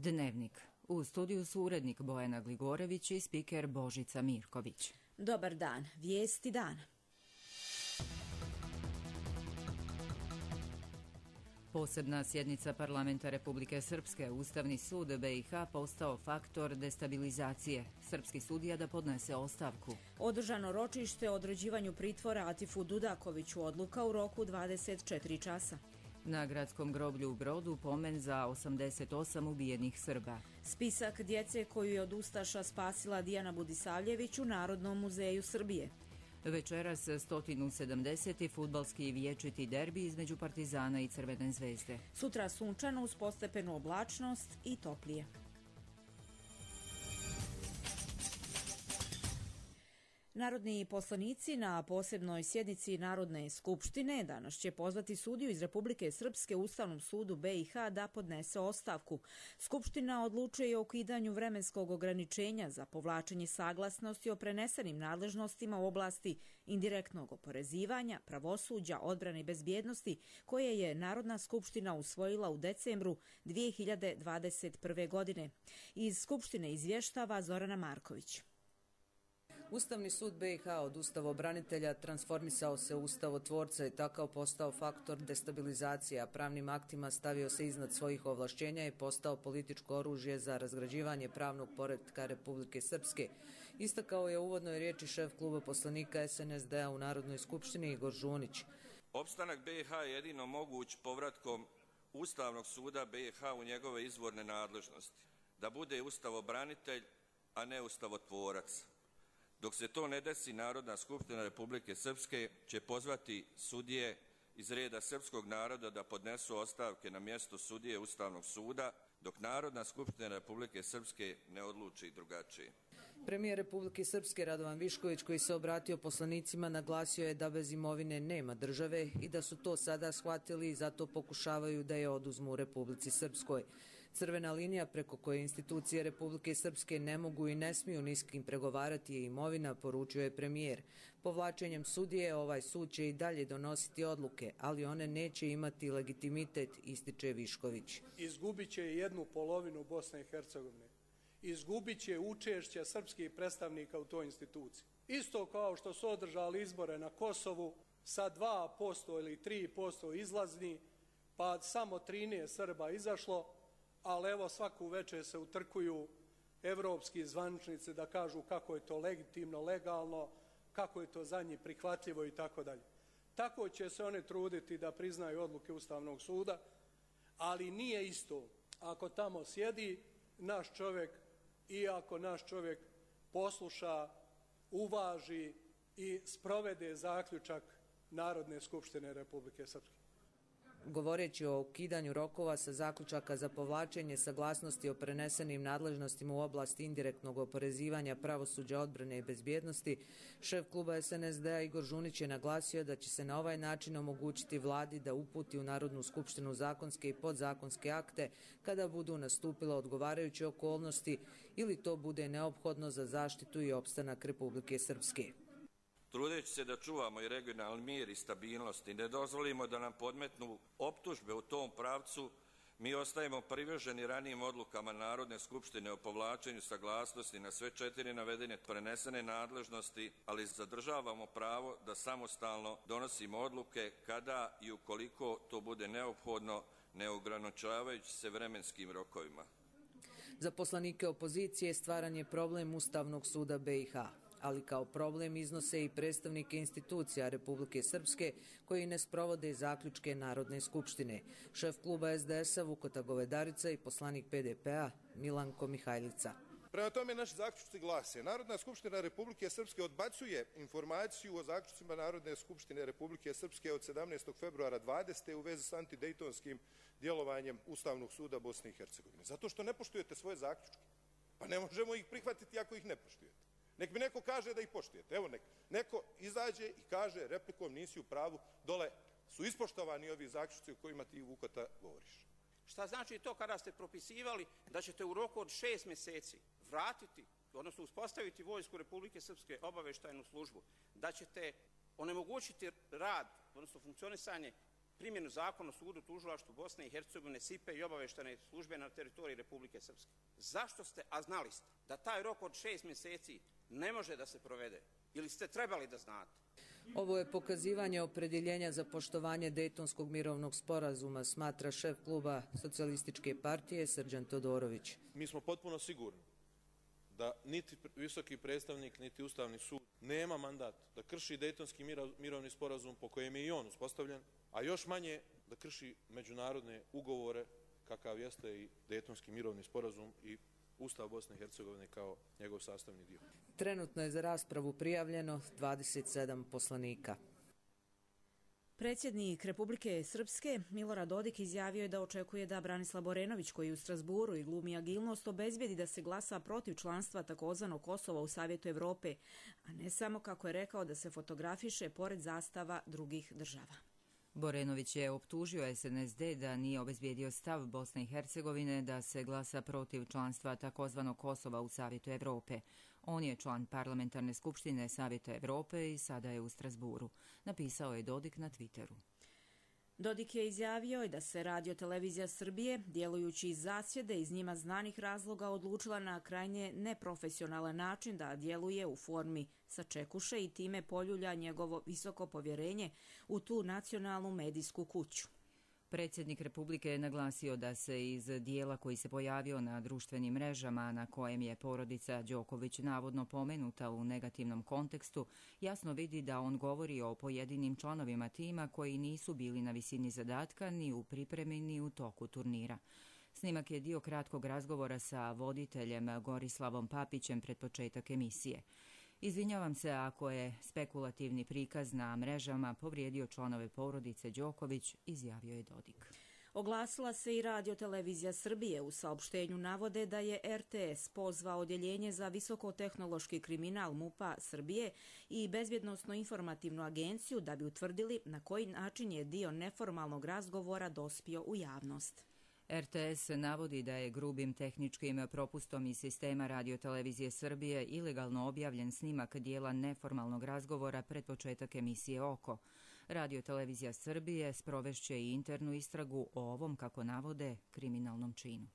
Dnevnik. U studiju su urednik Bojana Gligorević i spiker Božica Mirković. Dobar dan. Vijesti dana. Posebna sjednica parlamenta Republike Srpske, Ustavni sud BiH postao faktor destabilizacije. Srpski sudija da podnese ostavku. Održano ročište o određivanju pritvora Atifu Dudakoviću, odluka u roku 24 časa. Na gradskom groblju u Brodu pomen za 88 ubijenih Srba. Spisak djece koju je od ustaša spasila Dijana Budisavljević u Narodnom muzeju Srbije. Večeras 170. fudbalski vječiti derbi između Partizana i Crvene zvezde. Sutra sunčano uz postepenu oblačnost i toplije. Narodni poslanici na posebnoj sjednici Narodne skupštine danas će pozvati sudiju iz Republike Srpske Ustavnom sudu BiH da podnese ostavku. Skupština odlučuje i o ukidanju vremenskog ograničenja za povlačenje saglasnosti o prenesenim nadležnostima u oblasti indirektnog oporezivanja, pravosuđa, odbrane i bezbjednosti koje je Narodna skupština usvojila u decembru 2021. godine. Iz Skupštine izvještava Zorana Marković. Ustavni sud BiH od ustavobranitelja transformisao se u ustavotvorca i takav postao faktor destabilizacije, a pravnim aktima stavio se iznad svojih ovlašćenja i postao političko oružje za razgrađivanje pravnog poretka Republike Srpske. Istakao je u uvodnoj riječi šef kluba poslanika SNSD-a u Narodnoj skupštini Igor Žunić. Opstanak BiH je jedino moguć povratkom Ustavnog suda BiH u njegove izvorne nadležnosti, da bude ustavobranitelj, a ne ustavotvorac. Dok se to ne desi, Narodna skupština Republike Srpske će pozvati sudije iz reda srpskog naroda da podnesu ostavke na mjesto sudije Ustavnog suda, dok Narodna skupština Republike Srpske ne odluči drugačije. Premijer Republike Srpske Radovan Višković, koji se obratio poslanicima, naglasio je da bez imovine nema države i da su to sada shvatili i zato pokušavaju da je oduzmu u Republici Srpskoj. Crvena linija preko koje institucije Republike Srpske ne mogu i ne smiju ni s kim pregovarati je imovina, poručio je premijer. Povlačenjem sudije ovaj sud će i dalje donositi odluke, ali one neće imati legitimitet, ističe Višković. Izgubit će jednu polovinu Bosne i Hercegovine. Izgubit će učešće srpskih predstavnika u toj instituciji. Isto kao što su održali izbore na Kosovu sa 2% ili 3% izlazni, pa samo 13 Srba izašlo, ali evo svaku večer se utrkuju evropski zvaničnici da kažu kako je to legitimno, legalno, kako je to za njih prihvatljivo i tako dalje. Tako će se one truditi da priznaju odluke Ustavnog suda, ali nije isto ako tamo sjedi naš čovjek i ako naš čovjek posluša, uvaži i sprovede zaključak Narodne skupštine Republike Srpske. Govoreći o ukidanju rokova sa zaključaka za povlačenje saglasnosti o prenesenim nadležnostima u oblasti indirektnog oporezivanja, pravosuđa, odbrane i bezbjednosti, šef kluba SNSD-a Igor Žunić je naglasio da će se na ovaj način omogućiti vladi da uputi u Narodnu skupštinu zakonske i podzakonske akte kada budu nastupile odgovarajuće okolnosti ili to bude neophodno za zaštitu i opstanak Republike Srpske. Trudeći se da čuvamo i regionalni mir i stabilnost i ne dozvolimo da nam podmetnu optužbe u tom pravcu, mi ostajemo privrženi ranijim odlukama Narodne skupštine o povlačenju saglasnosti na sve 4 navedene prenesene nadležnosti, ali zadržavamo pravo da samostalno donosimo odluke kada i ukoliko to bude neophodno, ne ograničavajući se vremenskim rokovima. Za poslanike opozicije stvaran je problem Ustavnog suda BiH, ali kao problem iznose i predstavnike institucija Republike Srpske koji ne sprovode zaključke Narodne skupštine. Šef kluba SDS-a Vukota Govedarica i poslanik PDP-a Milanko Mihajlica. Prema tome, naši zaključci glase: Narodna skupština Republike Srpske odbacuje informaciju o zaključcima Narodne skupštine Republike Srpske od 17. februara 20. u vezi s antidejtonskim djelovanjem Ustavnog suda Bosne i Hercegovine. Zato što ne poštujete svoje zaključke. Pa ne možemo ih prihvatiti ako ih ne poštujete. Nek mi neko kaže da ih poštujete. Evo, neko izađe i kaže replikom nisi u pravu, dole su ispoštovani ovi zaključci o kojima ti, Vukota, govoriš. Šta znači to kada ste propisivali da ćete u roku od 6 mjeseci vratiti, odnosno uspostaviti Vojsku Republike Srpske, obavještajnu službu, da ćete onemogućiti rad, odnosno funkcionisanje primjenu zakona o sudu, tužilaštvu Bosne i Hercegovine, SIPE i obaveštene službe na teritoriji Republike Srpske. Zašto ste, a znali ste, da taj rok od 6 mjeseci ne može da se provede? Ili ste trebali da znate? Ovo je pokazivanje opredjeljenja za poštovanje Dejtonskog mirovnog sporazuma, smatra šef kluba Socijalističke partije Srđan Todorović. Mi smo potpuno sigurni da niti visoki predstavnik, niti Ustavni sud nema mandat da krši Dejtonski mirovni sporazum po kojem je i on uspostavljen, a još manje da krši međunarodne ugovore kakav jeste i Dejtonski mirovni sporazum i Ustav Bosne i Hercegovine kao njegov sastavni dio. Trenutno je za raspravu prijavljeno 27 poslanika. Predsjednik Republike Srpske Milorad Dodik izjavio je da očekuje da Branislav Borenović, koji u Strasburu i glumi agilnost, obezbijedi da se glasa protiv članstva takozvanog Kosova u Savjetu Evrope, a ne samo, kako je rekao, da se fotografiše pored zastava drugih država. Borenović je optužio SNSD da nije obezbijedio stav Bosne i Hercegovine da se glasa protiv članstva takozvanog Kosova u Savjetu Evrope. On je član parlamentarne skupštine Savjeta Evrope i sada je u Strasburu, napisao je Dodik na Twitteru. Dodik je izjavio da se Radio-televizija Srbije, djelujući iz zasjede iz njima znanih razloga, odlučila na krajnje neprofesionalan način da djeluje u formi sačekuše i time poljulja njegovo visoko povjerenje u tu nacionalnu medijsku kuću. Predsjednik Republike je naglasio da se iz dijela koji se pojavio na društvenim mrežama, na kojem je porodica Đoković navodno pomenuta u negativnom kontekstu, jasno vidi da on govori o pojedinim članovima tima koji nisu bili na visini zadatka ni u pripremi ni u toku turnira. Snimak je dio kratkog razgovora sa voditeljem Gorislavom Papićem pred početak emisije. Izvinjavam se ako je spekulativni prikaz na mrežama povrijedio članove porodice Đoković, izjavio je Dodik. Oglasila se i Radio-televizija Srbije. U saopštenju navode da je RTS pozvao Odjeljenje za visokotehnološki kriminal MUP-a Srbije i Bezbjednosno-informativnu agenciju da bi utvrdili na koji način je dio neformalnog razgovora dospio u javnost. RTS navodi da je grubim tehničkim propustom iz sistema Radio-televizije Srbije ilegalno objavljen snimak dijela neformalnog razgovora pred početak emisije Oko. Radio-televizija Srbije sprovešće i internu istragu o ovom, kako navode, kriminalnom činu.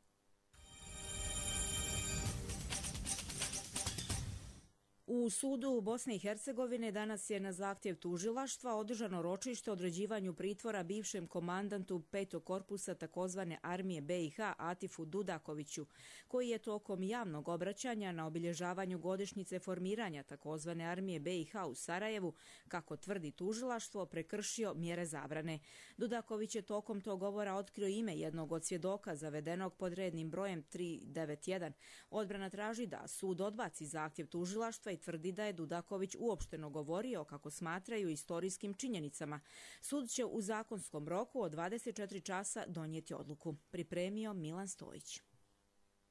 U sudu Bosne i Hercegovine danas je na zahtjev tužilaštva održano ročište o određivanju pritvora bivšem komandantu 5. korpusa takozvane armije BiH Atifu Dudakoviću, koji je tokom javnog obraćanja na obilježavanju godišnjice formiranja takozvane armije BiH u Sarajevu, kako tvrdi tužilaštvo, prekršio mjere zabrane. Dudaković je tokom tog govora otkrio ime jednog od svjedoka zavedenog pod rednim brojem 391. Odbrana traži da sud odbaci zahtjev tužilaštva i tvrdi da je Dudaković uopšteno govorio, kako smatraju, istorijskim činjenicama. Sud će u zakonskom roku od 24 časa donijeti odluku. Pripremio Milan Stojić.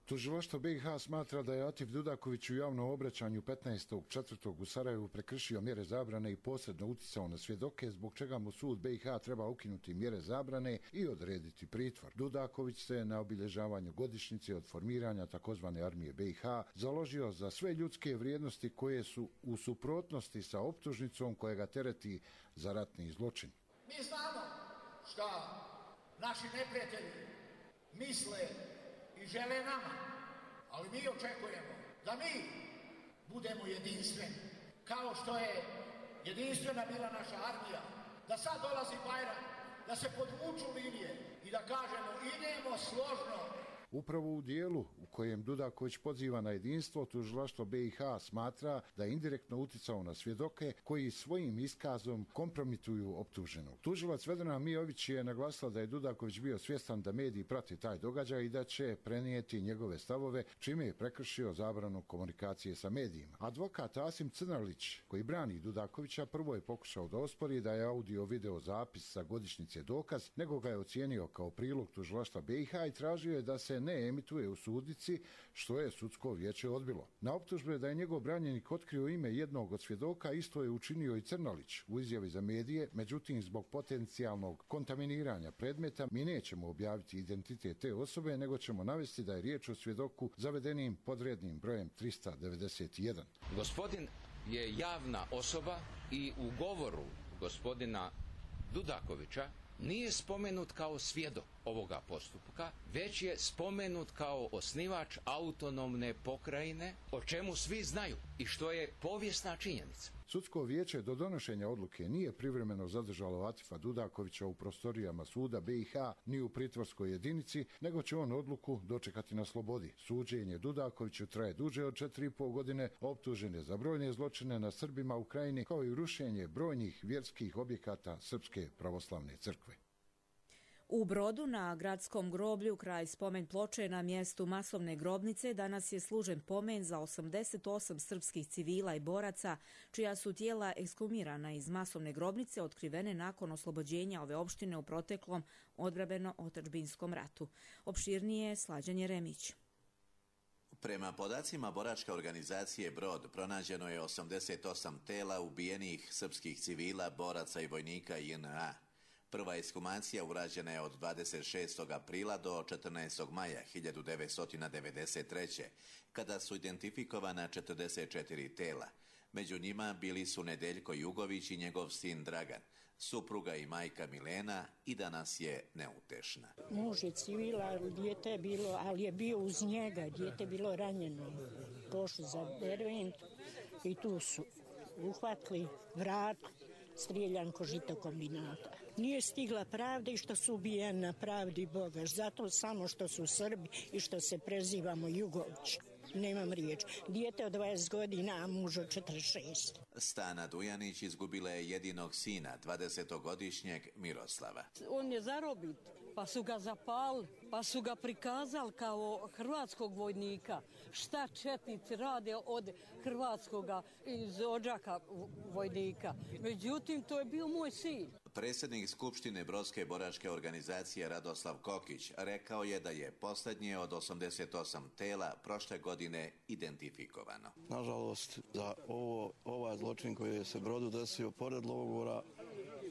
Tužilaštvo BiH smatra da je Atif Dudaković u javnom obraćanju 15.4. u Sarajevu prekršio mjere zabrane i posredno uticao na svjedoke, zbog čega mu sud BiH treba ukinuti mjere zabrane i odrediti pritvor. Dudaković se na obilježavanju godišnjice od formiranja takozvane armije BiH založio za sve ljudske vrijednosti koje su u suprotnosti sa optužnicom koja ga tereti za ratni zločin. Mi znamo šta naši neprijatelji misle i žele nama, ali mi očekujemo da mi budemo jedinstveni, kao što je jedinstvena bila naša armija, da sad dolazi Bajram, da se podvuču linije i da kažemo idemo složno. Upravo u dijelu u kojem Dudaković poziva na jedinstvo, tužilaštvo BiH smatra da je indirektno uticao na svjedoke koji svojim iskazom kompromituju optuženog. Tužilac Vedrana Mijović je naglasila da je Dudaković bio svjestan da mediji prate taj događaj i da će prenijeti njegove stavove, čime je prekršio zabranu komunikacije sa medijima. Advokat Asim Crnalić, koji brani Dudakovića, prvo je pokušao da ospori da je audio-video zapis sa godišnjice dokaz, nego ga je ocijenio kao prilog tužilaštva BiH i tražio je da se ne emituje u sudnici, što je sudsko vijeće odbilo. Na optužbe da je njegov branjenik otkrio ime jednog od svjedoka isto je učinio i Crnalić u izjavi za medije, međutim zbog potencijalnog kontaminiranja predmeta mi nećemo objaviti identitet te osobe, nego ćemo navesti da je riječ o svjedoku zavedenim podrednim brojem 391. Gospodin je javna osoba i u govoru gospodina Dudakovića nije spomenut kao svjedok ovoga postupka, već je spomenut kao osnivač autonomne pokrajine, o čemu svi znaju i što je povijesna činjenica. Sudsko vijeće do donošenja odluke nije privremeno zadržalo Atifa Dudakovića u prostorijama suda BiH ni u pritvorskoj jedinici, nego će on odluku dočekati na slobodi. Suđenje Dudakoviću traje duže od 4,5 godine, optužen je za brojne zločine na Srbima u Krajini, kao i rušenje brojnih vjerskih objekata Srpske pravoslavne crkve. U Brodu na gradskom groblju kraj spomen ploče na mjestu masovne grobnice danas je služen pomen za 88 srpskih civila i boraca čija su tijela ekshumirana iz masovne grobnice otkrivene nakon oslobođenja ove opštine u proteklom odbrambeno-otadžbinskom ratu. Opširnije Slađan Jeremić. Prema podacima boračke organizacije Brod, pronađeno je 88 tela ubijenih srpskih civila, boraca i vojnika JNA. Prva ekshumacija urađena je od 26. aprila do 14. maja 1993. kada su identifikovana 44 tela. Među njima bili su Nedeljko Jugović i njegov sin Dragan, supruga i majka Milena, i danas je neutešna. Muž je civila, dijete je bilo, ali je bio uz njega, dijete je bilo ranjeno. Pošli za Dervent i tu su uhvatili vrat, strijeljan ko žito kombinata. Nije stigla pravda i što su ubijeni na pravdi Boga. Zato samo što su Srbi i što se prezivamo Jugović. Nemam riječ. Dijete od 20 godina, a muž od 46. Stana Dujanić izgubila je jedinog sina, 20-godišnjeg Miroslava. On je zarobit, pa su ga zapali, pa su ga prikazali kao hrvatskog vojnika. Šta četnici rade od hrvatskoga iz Odžaka vojnika. Međutim, to je bio moj sin. Predsjednik Skupštine Brodske boračke organizacije Radoslav Kokić rekao je da je posljednje od 88 tela prošle godine identifikovano. Nažalost, za ovaj zločin koji je se Brodu desio pored logora,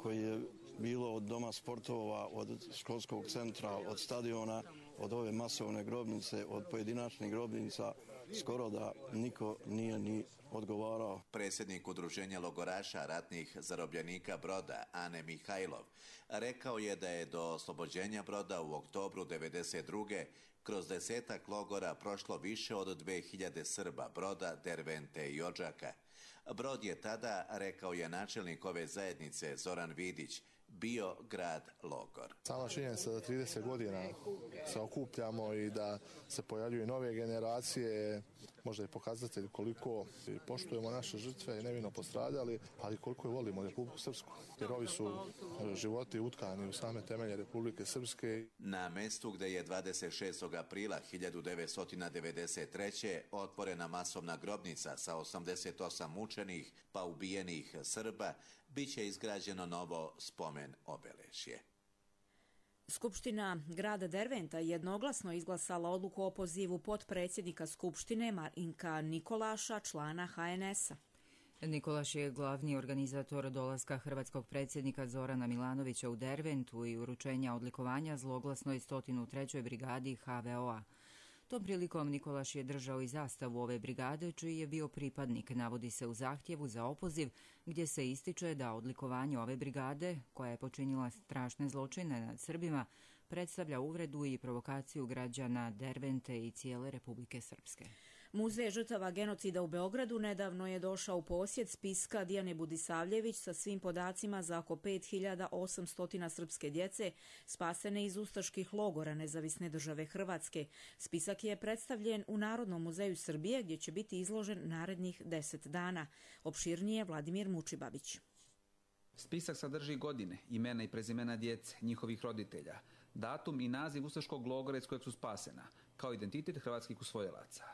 koji je bilo od doma sportova, od školskog centra, od stadiona, od ove masovne grobnice, od pojedinačnih grobnica, skoro da niko nije ni odgovarao. Predsjednik Udruženja logoraša ratnih zarobljenika Broda, Ane Mihajlov, rekao je da je do oslobođenja Broda u oktobru 1992. kroz 10 logora prošlo više od 2000 Srba, Broda, Dervente i Odžaka. Brod je tada, rekao je načelnik ove zajednice Zoran Vidić, bio grad logor. Sama činjenica da 30 godina se okupljamo i da se pojavljuju nove generacije, možda je pokazatelj koliko poštujemo naše žrtve i nevino postradali, ali koliko je volimo Republiku Srpsku. Jer ovi su životi utkani u same temelje Republike Srpske. Na mestu gdje je 26. aprila 1993. otvorena masovna grobnica sa 88 mučenih pa ubijenih Srba, bit će izgrađeno novo spomen obeležje. Skupština grada Derventa jednoglasno izglasala odluku o opozivu potpredsjednika Skupštine Marinka Nikolaša, člana HNS-a. Nikolaš je glavni organizator dolaska hrvatskog predsjednika Zorana Milanovića u Derventu i uručenja odlikovanja zloglasnoj 103. brigadi HVO-a. Tom prilikom Nikolaš je držao i zastavu ove brigade, čiji je bio pripadnik, navodi se u zahtjevu za opoziv, gdje se ističe da odlikovanje ove brigade, koja je počinila strašne zločine nad Srbima, predstavlja uvredu i provokaciju građana Dervente i cijele Republike Srpske. Muzej žrtava genocida u Beogradu nedavno je došao u posjed spiska Dijane Budisavljević sa svim podacima za oko 5800 srpske djece spasene iz ustaških logora Nezavisne države Hrvatske. Spisak je predstavljen u Narodnom muzeju Srbije gdje će biti izložen narednih 10 dana. Opširnije Vladimir Mučibabić. Spisak sadrži godine, imena i prezimena djece, njihovih roditelja, datum i naziv ustaškog logora iz kojeg su spasena, kao identitet hrvatskih usvojilaca.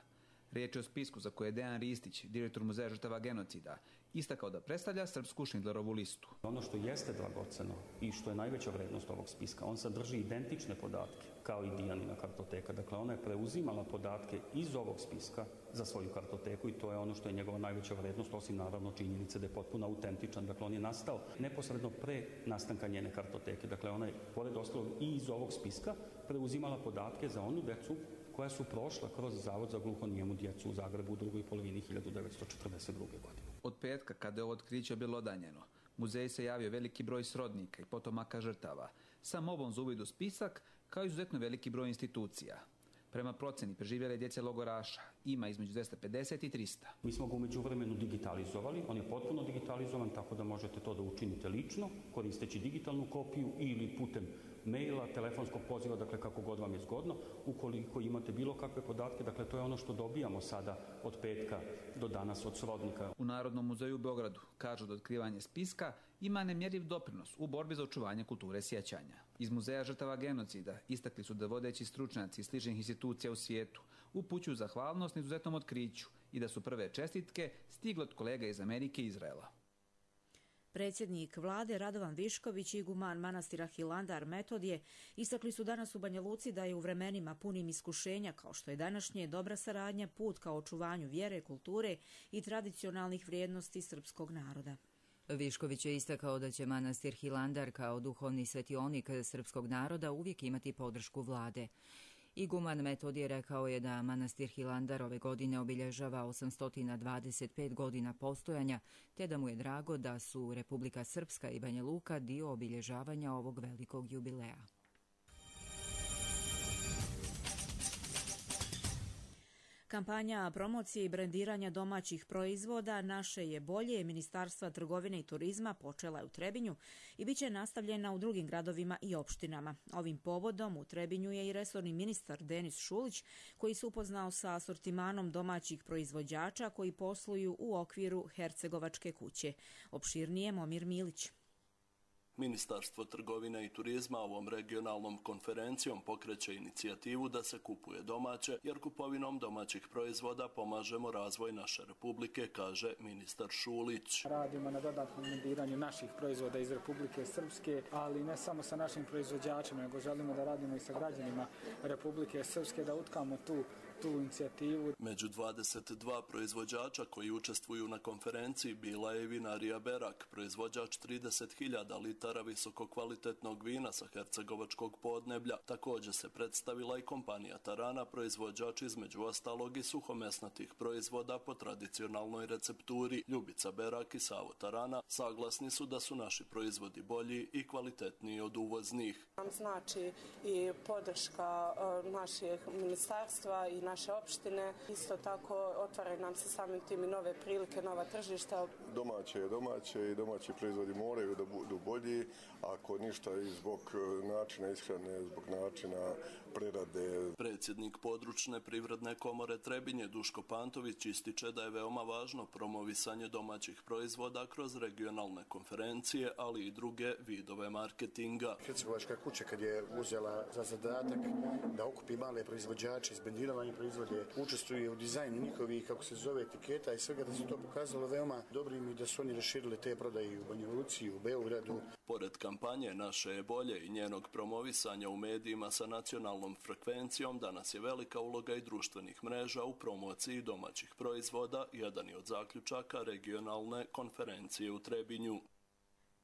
Riječ je o spisku za koje je Dejan Ristić, direktor Muzeja žrtava genocida, istakao da predstavlja srpsku Schindlerovu listu. Ono što jeste dragoceno i što je najveća vrednost ovog spiska, on sadrži identične podatke kao i Dijanina kartoteka. Dakle, ona je preuzimala podatke iz ovog spiska za svoju kartoteku i to je ono što je njegova najveća vrednost, osim naravno činjenice da je potpuno autentičan. Dakle, on je nastao neposredno pre nastanka njene kartoteke. Dakle, ona je, pored ostalog, i iz ovog spiska preuzimala podatke za onu decu koja su prošla kroz Zavod za gluhonijemu djecu u Zagrebu u drugoj polovini 1942. godine. Od petka, kada je ovo otkriće bilo odanjeno, Muzeju se javio veliki broj srodnika i potomaka žrtava. Sa molbom za uvid u spisak, kao izuzetno veliki broj institucija. Prema proceni preživjele djece logoraša ima između 250 i 300. Mi smo ga u međuvremenu digitalizovali, on je potpuno digitalizovan, tako da možete to da učinite lično, koristeći digitalnu kopiju ili putem maila, telefonskog poziva, dakle kako god vam je zgodno. Ukoliko imate bilo kakve podatke, dakle to je ono što dobijamo sada od petka do danas od srodnika. U Narodnom muzeju u Beogradu kažu da otkrivanje spiska ima nemjerljiv doprinos u borbi za očuvanje kulture sjećanja. Iz Muzeja žrtava genocida istakli su da vodeći stručnjaci sličnih institucija u svijetu upućuju zahvalnost na izuzetnom otkriću i da su prve čestitke stigle od kolega iz Amerike i Izraela. Predsjednik vlade Radovan Višković i iguman manastira Hilandar Metodije istakli su danas u Banja Luci da je u vremenima punim iskušenja kao što je današnje dobra saradnja put ka očuvanju vjere, kulture i tradicionalnih vrijednosti srpskog naroda. Višković je istakao da će manastir Hilandar kao duhovni svetionik srpskog naroda uvijek imati podršku vlade. Iguman Metodije rekao je da manastir Hilandar ove godine obilježava 825 godina postojanja, te da mu je drago da su Republika Srpska i Banja Luka dio obilježavanja ovog velikog jubileja. Kampanja promocije i brendiranja domaćih proizvoda Naše je bolje Ministarstva trgovine i turizma počela je u Trebinju i bit će nastavljena u drugim gradovima i opštinama. Ovim povodom u Trebinju je i resorni ministar Denis Šulić koji se upoznao sa asortimanom domaćih proizvođača koji posluju u okviru Hercegovačke kuće. Opširnije Momir Milić. Ministarstvo trgovine i turizma ovom regionalnom konferencijom pokreće inicijativu da se kupuje domaće, jer kupovinom domaćih proizvoda pomažemo razvoj naše republike, kaže ministar Šulić. Radimo na dodatnom brendiranju naših proizvoda iz Republike Srpske, ali ne samo sa našim proizvođačima, nego želimo da radimo i sa građanima Republike Srpske, da utkamo tu inicijativu. Među 22 proizvođača koji učestvuju na konferenciji bila je i vinarija Berak, proizvođač 30.000 litara visokokvalitetnog vina sa hercegovačkog podneblja. Također se predstavila i kompanija Tarana, proizvođač između ostalog i suhomesnatih proizvoda po tradicionalnoj recepturi. Ljubica Berak i Savo Tarana saglasni su da su naši proizvodi bolji i kvalitetniji od uvoznih. Nam znači i podrška naših ministarstva i naše opštine. Isto tako otvaraju nam se samim tim i nove prilike, nova tržišta. Domaće je domaće i domaći proizvodi moraju da budu bolji, ako ništa i zbog načina ishrane, zbog načina prerade. Predsjednik područne privredne komore Trebinje Duško Pantović ističe da je veoma važno promovisanje domaćih proizvoda kroz regionalne konferencije, ali i druge vidove marketinga. Hercegovačka kuća kad je uzela za zadatak da okupi male proizvođače, izbrendiranje proizvode, učestvuje u dizajnu njihovih, kako se zove, etiketa i svega, da se to pokazalo veoma dobrim i da su oni raširili te prodaje u Banja Luci, u Beogradu. Pored kampanje Naše je bolje i njenog promovisanja u medijima sa nacionalnom frekvencijom, danas je velika uloga i društvenih mreža u promociji domaćih proizvoda, jedan je od zaključaka regionalne konferencije u Trebinju.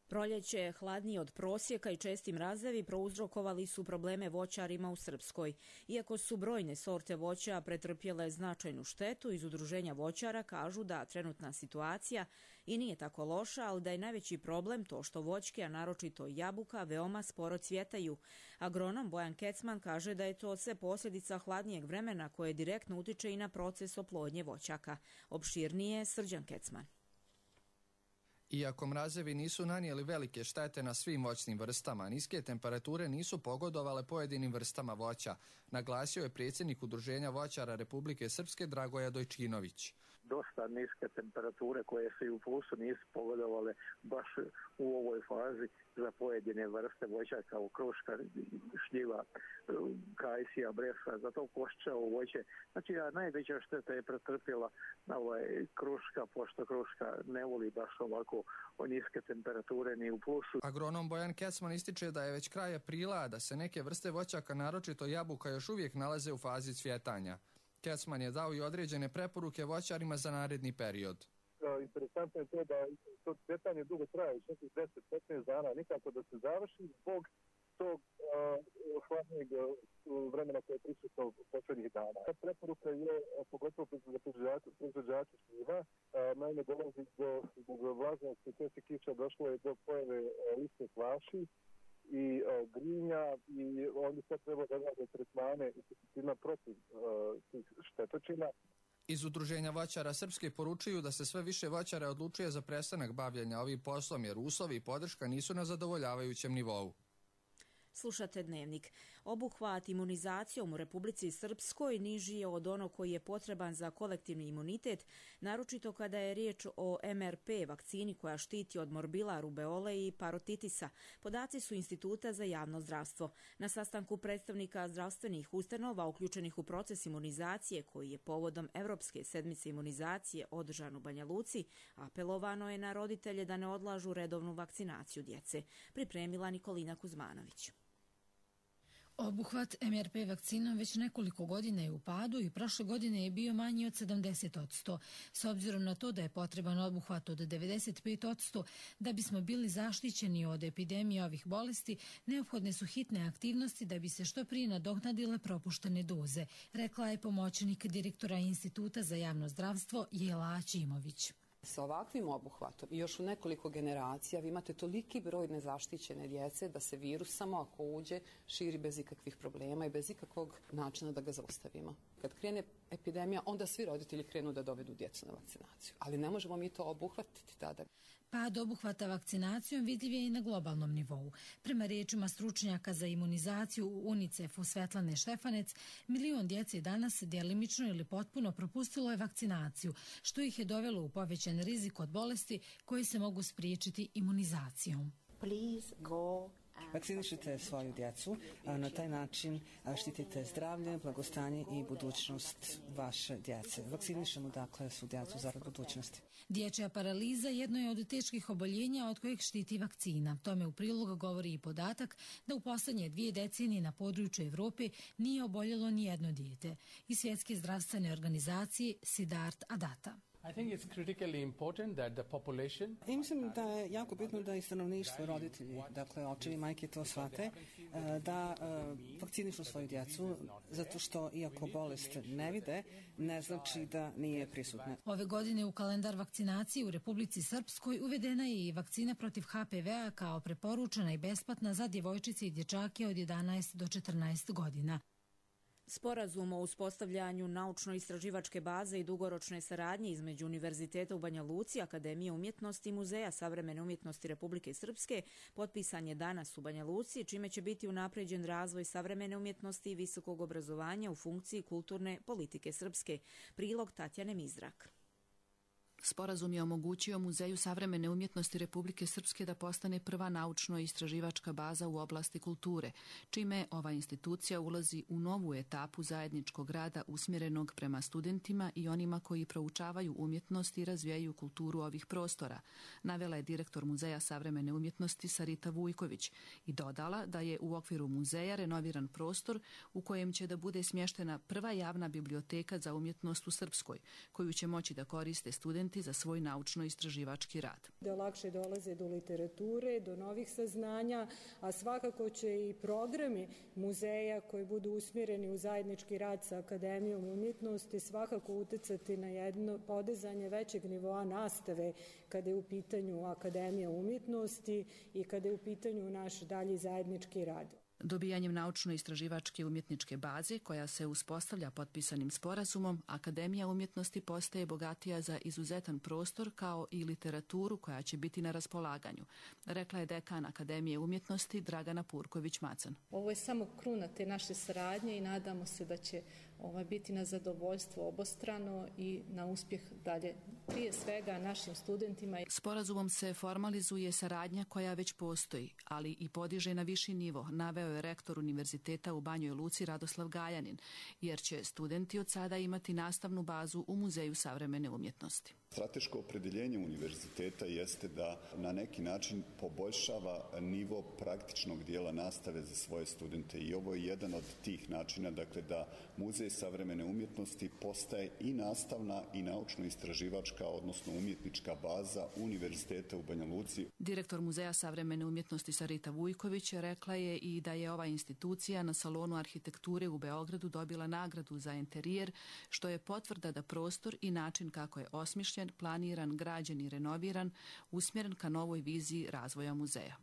Proljeće, hladnije od prosjeka i česti mrazevi prouzrokovali su probleme voćarima u Srpskoj. Iako su brojne sorte voća pretrpjele značajnu štetu, iz Udruženja voćara kažu da trenutna situacija i nije tako loša, ali da je najveći problem to što voćke, a naročito jabuka, veoma sporo cvjetaju. Agronom Bojan Kecman kaže da je to sve posljedica hladnijeg vremena koje direktno utiče i na proces oplodnje voćaka. Opširnije Srđan Kecman. Iako mrazevi nisu nanijeli velike štete na svim voćnim vrstama, niske temperature nisu pogodovale pojedinim vrstama voća, naglasio je predsjednik Udruženja voćara Republike Srpske Dragoja Dojčinović. Dosta niske temperature koje se i u plusu nisu pogodovale baš u ovoj fazi za pojedine vrste voća kao kruška, šljiva, kajsija, bresa, zato koščevo voće. Znači, najveća šteta je pretrpjela kruška, pošto kruška ne voli baš ovako niske temperature ni u plusu. Agronom Bojan Kecman ističe da je već kraj aprila, da se neke vrste voćaka, naročito jabuka, još uvijek nalaze u fazi cvjetanja. Kecman je dao i određene preporuke voćarima za naredni period. Interesantno je to da cvjetanje dugo traje, 10-15 dana, nikako da se završi zbog tog hladnijeg vremena koje je prisutno posljednjih dana. Preporuka je, pogotovo za proizvođače šljiva, naime dolazi zbog vlažnosti čestih kiša došlo je do pojave listnih vaši i grinja i oni sad treba da rade tretmane i pesticidima protiv tih štetočina. Iz Udruženja voćara Srpske poručuju da se sve više voćara odlučuje za prestanak bavljenja ovim poslom jer uslovi i podrška nisu na zadovoljavajućem nivou. Slušate Dnevnik. Obuhvat imunizacijom u Republici Srpskoj niži je od onog koji je potreban za kolektivni imunitet, naročito kada je riječ o MRP vakcini koja štiti od morbila, rubeole i parotitisa. Podaci su Instituta za javno zdravstvo. Na sastanku predstavnika zdravstvenih ustanova uključenih u proces imunizacije koji je povodom Evropske sedmice imunizacije održan u Banja Luci, apelovano je na roditelje da ne odlažu redovnu vakcinaciju djece. Pripremila Nikolina Kuzmanović. Obuhvat MRP vakcinom već nekoliko godina je u padu i prošle godine je bio manji od 70%. S obzirom na to da je potreban obuhvat od 95%, da bismo bili zaštićeni od epidemije ovih bolesti, neophodne su hitne aktivnosti da bi se što prije nadoknadile propuštene doze, rekla je pomoćnik direktora Instituta za javno zdravstvo Jela Aćimović. Sa ovakvim obuhvatom i još u nekoliko generacija vi imate toliki broj nezaštićene djece da se virus samo ako uđe širi bez ikakvih problema i bez ikakvog načina da ga zaustavimo. Kad krene epidemija, onda svi roditelji krenu da dovedu djecu na vakcinaciju, ali ne možemo mi to obuhvatiti tada. Pad obuhvata vakcinacijom vidljiv je i na globalnom nivou. Prema riječima stručnjaka za imunizaciju u UNICEF-u Svetlane Štefanec, 1 milion djece danas djelimično ili potpuno propustilo je vakcinaciju, što ih je dovelo u povećan rizik od bolesti koji se mogu spriječiti imunizacijom. Vakcinišite svoju djecu, na taj način štitite zdravlje, blagostanje i budućnost vaše djece. Vakcinišemo dakle svu djecu zarad budućnosti. Dječja paraliza jedno je od teških oboljenja od kojeg štiti vakcina. Tome u prilog govori i podatak da u posljednje 2 decenije na području Evrope nije oboljelo ni jedno dijete. I Svjetske zdravstvene organizacije Siddharth Adatta. I mislim da je jako bitno da i stanovništvo, roditelji, dakle očevi, majke to shvate, da vakcinišu svoju djecu, zato što iako bolest ne vide, ne znači da nije prisutna. Ove godine u kalendar vakcinacije u Republici Srpskoj uvedena je i vakcina protiv HPV-a kao preporučena i besplatna za djevojčice i dječake od 11 do 14 godina. Sporazum o uspostavljanju naučno-istraživačke baze i dugoročne saradnje između Univerziteta u Banja Luci, Akademije umjetnosti i Muzeja savremene umjetnosti Republike Srpske potpisan je danas u Banja Luci, čime će biti unapređen razvoj savremene umjetnosti i visokog obrazovanja u funkciji kulturne politike Srpske. Prilog Tatjane Mizrak. Sporazum je omogućio Muzeju savremene umjetnosti Republike Srpske da postane prva naučno-istraživačka baza u oblasti kulture, čime ova institucija ulazi u novu etapu zajedničkog rada usmjerenog prema studentima i onima koji proučavaju umjetnost i razvijaju kulturu ovih prostora, navela je direktor Muzeja savremene umjetnosti Sarita Vujković i dodala da je u okviru muzeja renoviran prostor u kojem će da bude smještena prva javna biblioteka za umjetnost u Srpskoj, koju će moći da koriste studenti za svoj naučno-istraživački rad. Da lakše dolaze do literature, do novih saznanja, a svakako će i programi muzeja koji budu usmjereni u zajednički rad sa Akademijom umjetnosti svakako utjecati na jedno podizanje većeg nivoa nastave kada je u pitanju Akademija umjetnosti i kada je u pitanju naš dalji zajednički rad. Dobijanjem naučno-istraživačke umjetničke baze, koja se uspostavlja potpisanim sporazumom, Akademija umjetnosti postaje bogatija za izuzetan prostor kao i literaturu koja će biti na raspolaganju, rekla je dekan Akademije umjetnosti Dragana Purković-Macan. Ovo je samo kruna te naše saradnje i nadamo se da će biti na zadovoljstvo obostrano i na uspjeh dalje, prije svega našim studentima. Sporazumom se formalizuje saradnja koja već postoji, ali i podiže na viši nivo, naveo je rektor Univerziteta u Banjoj Luci Radoslav Gajanin, jer će studenti od sada imati nastavnu bazu u Muzeju savremene umjetnosti. Strateško opredjeljenje univerziteta jeste da na neki način poboljšava nivo praktičnog dijela nastave za svoje studente i ovo je jedan od tih načina, dakle da Muzej savremene umjetnosti postaje i nastavna i naučno-istraživačka, odnosno umjetnička baza Univerziteta u Banja Luci. Direktor Muzeja savremene umjetnosti Sarita Vujković rekla je i da je ova institucija na Salonu arhitekture u Beogradu dobila nagradu za interijer, što je potvrda da prostor i način kako je osmišljen, planiran, građen i renoviran, usmjeren ka novoj viziji razvoja muzeja.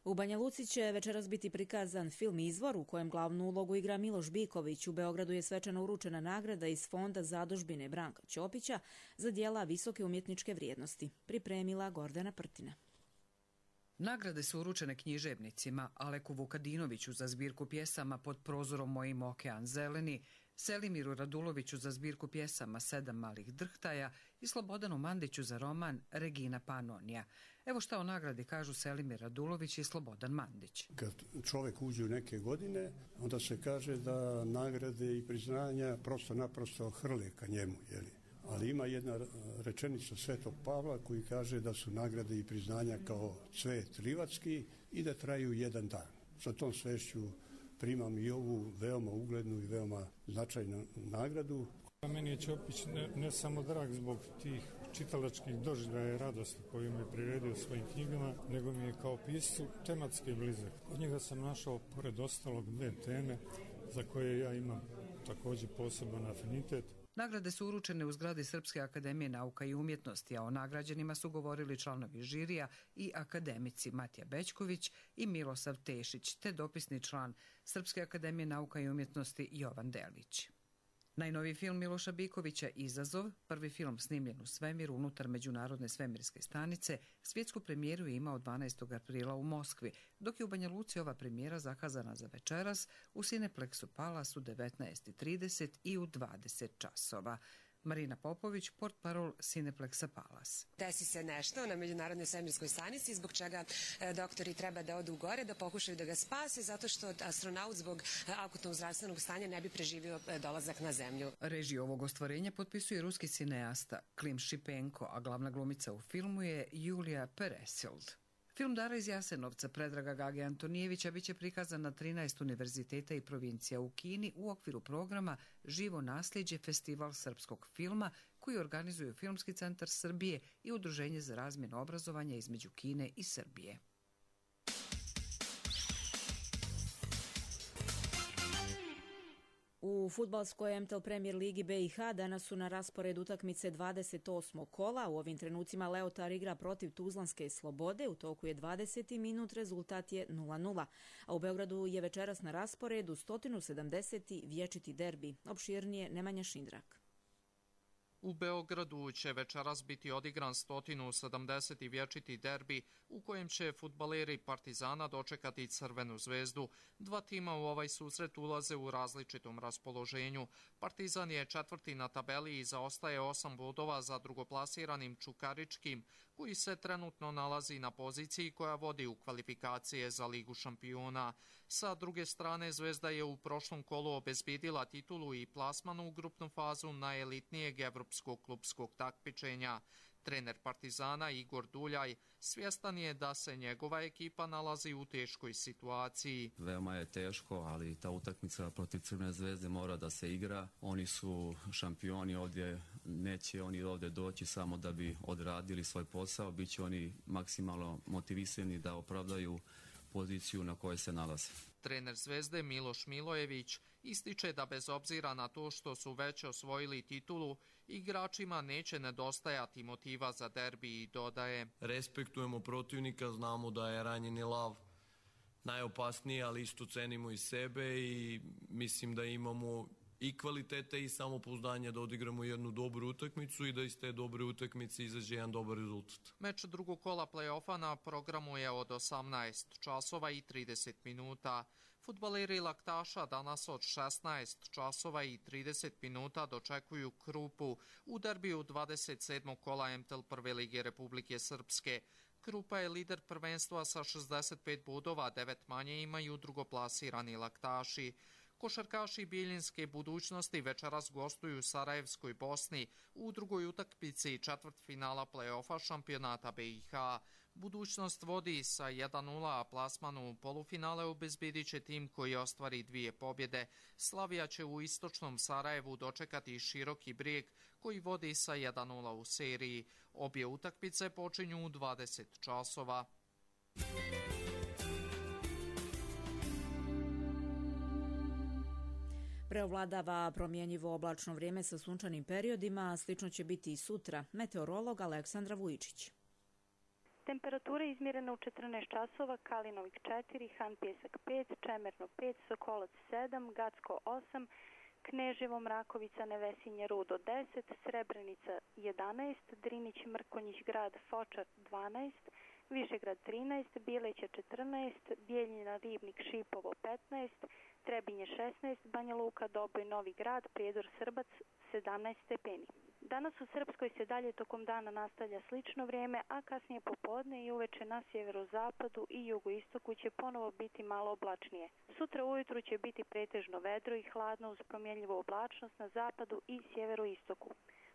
U Banja Luci će večeras biti prikazan film Izvor u kojem glavnu ulogu igra Miloš Biković. U Beogradu je svečano uručena nagrada iz Fonda zadužbine Branka Ćopića za djela visoke umjetničke vrijednosti. Pripremila Gordana Prtina. Nagrade su uručene književnicima Aleku Vukadinoviću za zbirku pjesama Pod prozorom mojim okean zeleni, Selimiru Raduloviću za zbirku pjesama 7 malih drhtaja i Slobodanu Mandiću za roman Regina Panonija. Evo šta o nagradi kažu Selimir Radulović i Slobodan Mandić. Kad čovjek uđe u neke godine, onda se kaže da nagrade i priznanja prosto naprosto hrle ka njemu, jeli? Ali ima jedna rečenica Svetog Pavla koji kaže da su nagrade i priznanja kao cvet livatski i da traju jedan dan. Sa tom svešću primam i ovu veoma uglednu i veoma značajnu nagradu. Meni je Ćopić ne samo drag zbog tih čitalačkih doživljaja i radosti koju mi je priredio svojim knjigama, nego mi je kao piscu tematski blizak. Od njega sam našao, pored ostalog, 2 teme za koje ja imam također poseban afinitet. Nagrade su uručene u zgradi Srpske akademije nauka i umjetnosti, a o nagrađenima su govorili članovi žirija i akademici Matija Bećković i Milosav Tešić, te dopisni član Srpske akademije nauka i umjetnosti Jovan Delić. Najnoviji film Miloša Bikovića Izazov, prvi film snimljen u svemiru unutar Međunarodne svemirske stanice, svjetsku premijeru je imao 12. aprila u Moskvi, dok je u Banja Luci ova premijera zakazana za večeras u Cineplexu Palace u 19:30 i u 20 časova. Marina Popović, portparol Cineplexa Palace. Desi se nešto na Međunarodnoj svemirskoj stanici zbog čega doktori treba da odu gore, da pokušaju da ga spase, zato što astronaut zbog akutnog zdravstvenog stanja ne bi preživio dolazak na Zemlju. Režiju ovog ostvarenja potpisuje ruski cineasta Klim Šipenko, a glavna glumica u filmu je Julija Peresild. Film Dara iz Jasenovca Predraga Gage Antonijevića biće prikazan na 13 univerziteta i provincija u Kini u okviru programa Živo nasljeđe festival srpskog filma koji organizuju Filmski centar Srbije i Udruženje za razmjenu obrazovanja između Kine i Srbije. U fudbalskoj MTL Premier Ligi BiH danas su na rasporedu utakmice 28. kola. U ovim trenucima Leotar igra protiv Tuzlanske Slobode. U toku je 20. minut, rezultat je 0:0. A u Beogradu je večeras na rasporedu 170. vječiti derbi. Opširnije Nemanja Šindrak. U Beogradu će večeras biti odigran 170. vječiti derbi u kojem će fudbaleri Partizana dočekati Crvenu zvezdu. 2 tima u ovaj susret ulaze u različitom raspoloženju. Partizan je 4. na tabeli i zaostaje 8 bodova za drugoplasiranim Čukaričkim, koji se trenutno nalazi na poziciji koja vodi u kvalifikacije za Ligu šampiona. Sa druge strane, Zvezda je u prošlom kolu obezbedila titulu i plasman u grupnu fazu najelitnijeg evropskog klupskog takmičenja. Trener Partizana Igor Duljaj svjestan je da se njegova ekipa nalazi u teškoj situaciji. Veoma je teško, ali ta utakmica protiv Crvene zvezde mora da se igra. Oni su šampioni ovdje, neće oni ovdje doći samo da bi odradili svoj posao, bit će oni maksimalno motivisani da opravdaju poziciju na kojoj se nalaze. Trener Zvezde Miloš Milojević ističe da bez obzira na to što su već osvojili titulu, igračima neće nedostajati motiva za derbi i dodaje: respektujemo protivnika, znamo da je ranjeni lav najopasniji, ali isto cenimo i sebe i mislim da imamo i kvalitete i samopouzdanje da odigramo jednu dobru utakmicu i da iz te dobre utakmice izađe jedan dobar rezultat. Meč drugog kola play-offa na programu je od 18 časova i 30 minuta. Fudbaleri Laktaša danas od 16 časova i 30 minuta dočekuju Krupu u derbiju 27. kola MTL Prve lige Republike Srpske. Krupa je lider prvenstva sa 65 bodova, 9 manje imaju drugoplasirani Laktaši. Košarkaši Bijeljinske budućnosti večeras gostuju u Sarajevskoj Bosni u drugoj utakmici četvrtfinala play-offa šampionata BiH. Budućnost vodi sa 1:0, a plasmanu u polufinale obezbedit će tim koji ostvari 2 pobjede. Slavija će u istočnom Sarajevu dočekati Široki Brijeg koji vodi sa 1:0 u seriji. Obje utakmice počinju u 20 časova. Preovladava promjenjivo oblačno vrijeme sa sunčanim periodima, slično će biti i sutra. Meteorolog Aleksandra Vujičić. Temperatura izmjerena u 14 časova, Kalinovik 4, Han Pjesak 5, Čemerno 5, Sokolac 7, Gacko 8, Kneževo, Mrakovica, Nevesinje, Rudo 10, Srebrenica 11, Drinić, Mrkonjić, Grad, Fočar 12, Višegrad 13, Bileća 14, Bijeljina, Ribnik, Šipovo 15, Trebinje 16, Banja Luka, Doboj, Novi Grad, Prijedor, Srbac 17 stepeni. Danas u Srpskoj se dalje tokom dana nastavlja slično vrijeme, a kasnije popodne i uveče na sjeverozapadu i jugoistoku će ponovo biti malo oblačnije. Sutra ujutru će biti pretežno vedro i hladno uz promjenljivu oblačnost na zapadu i sjeveroistoku.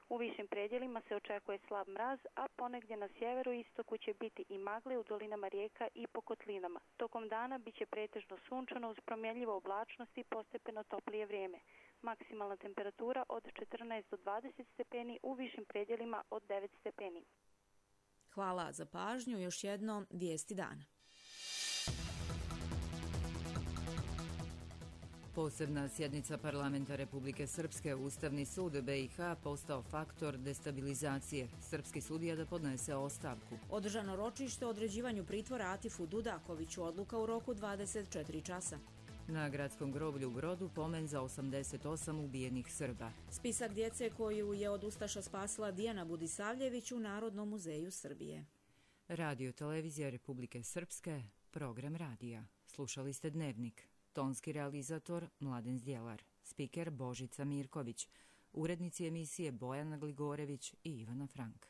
U višim predjelima se očekuje slab mraz, a ponegdje na sjeveroistoku će biti i magle u dolinama rijeka i po kotlinama. Tokom dana bit će pretežno sunčano uz promjenljivu oblačnost i postepeno toplije vrijeme. Maksimalna temperatura od 14 do 20 stepeni, u višim predjelima od 9 stepeni. Hvala za pažnju. Još jednom vijesti dana. Posebna sjednica parlamenta Republike Srpske, Ustavni sud BiH postao faktor destabilizacije. Srpski sudija da podnese ostavku. Održano ročište o određivanju pritvora Atifu Dudakoviću, odluka u roku 24 časa. Na gradskom groblju u Brodu pomen za 88 ubijenih Srba. Spisak djece koju je od ustaša spasila Dijana Budisavljević u Narodnom muzeju Srbije. Radio Televizija Republike Srpske, program radija. Slušali ste Dnevnik. Tonski realizator Mladen Zdjelar. Spiker Božica Mirković. Urednici emisije Bojana Gligorević i Ivana Frank.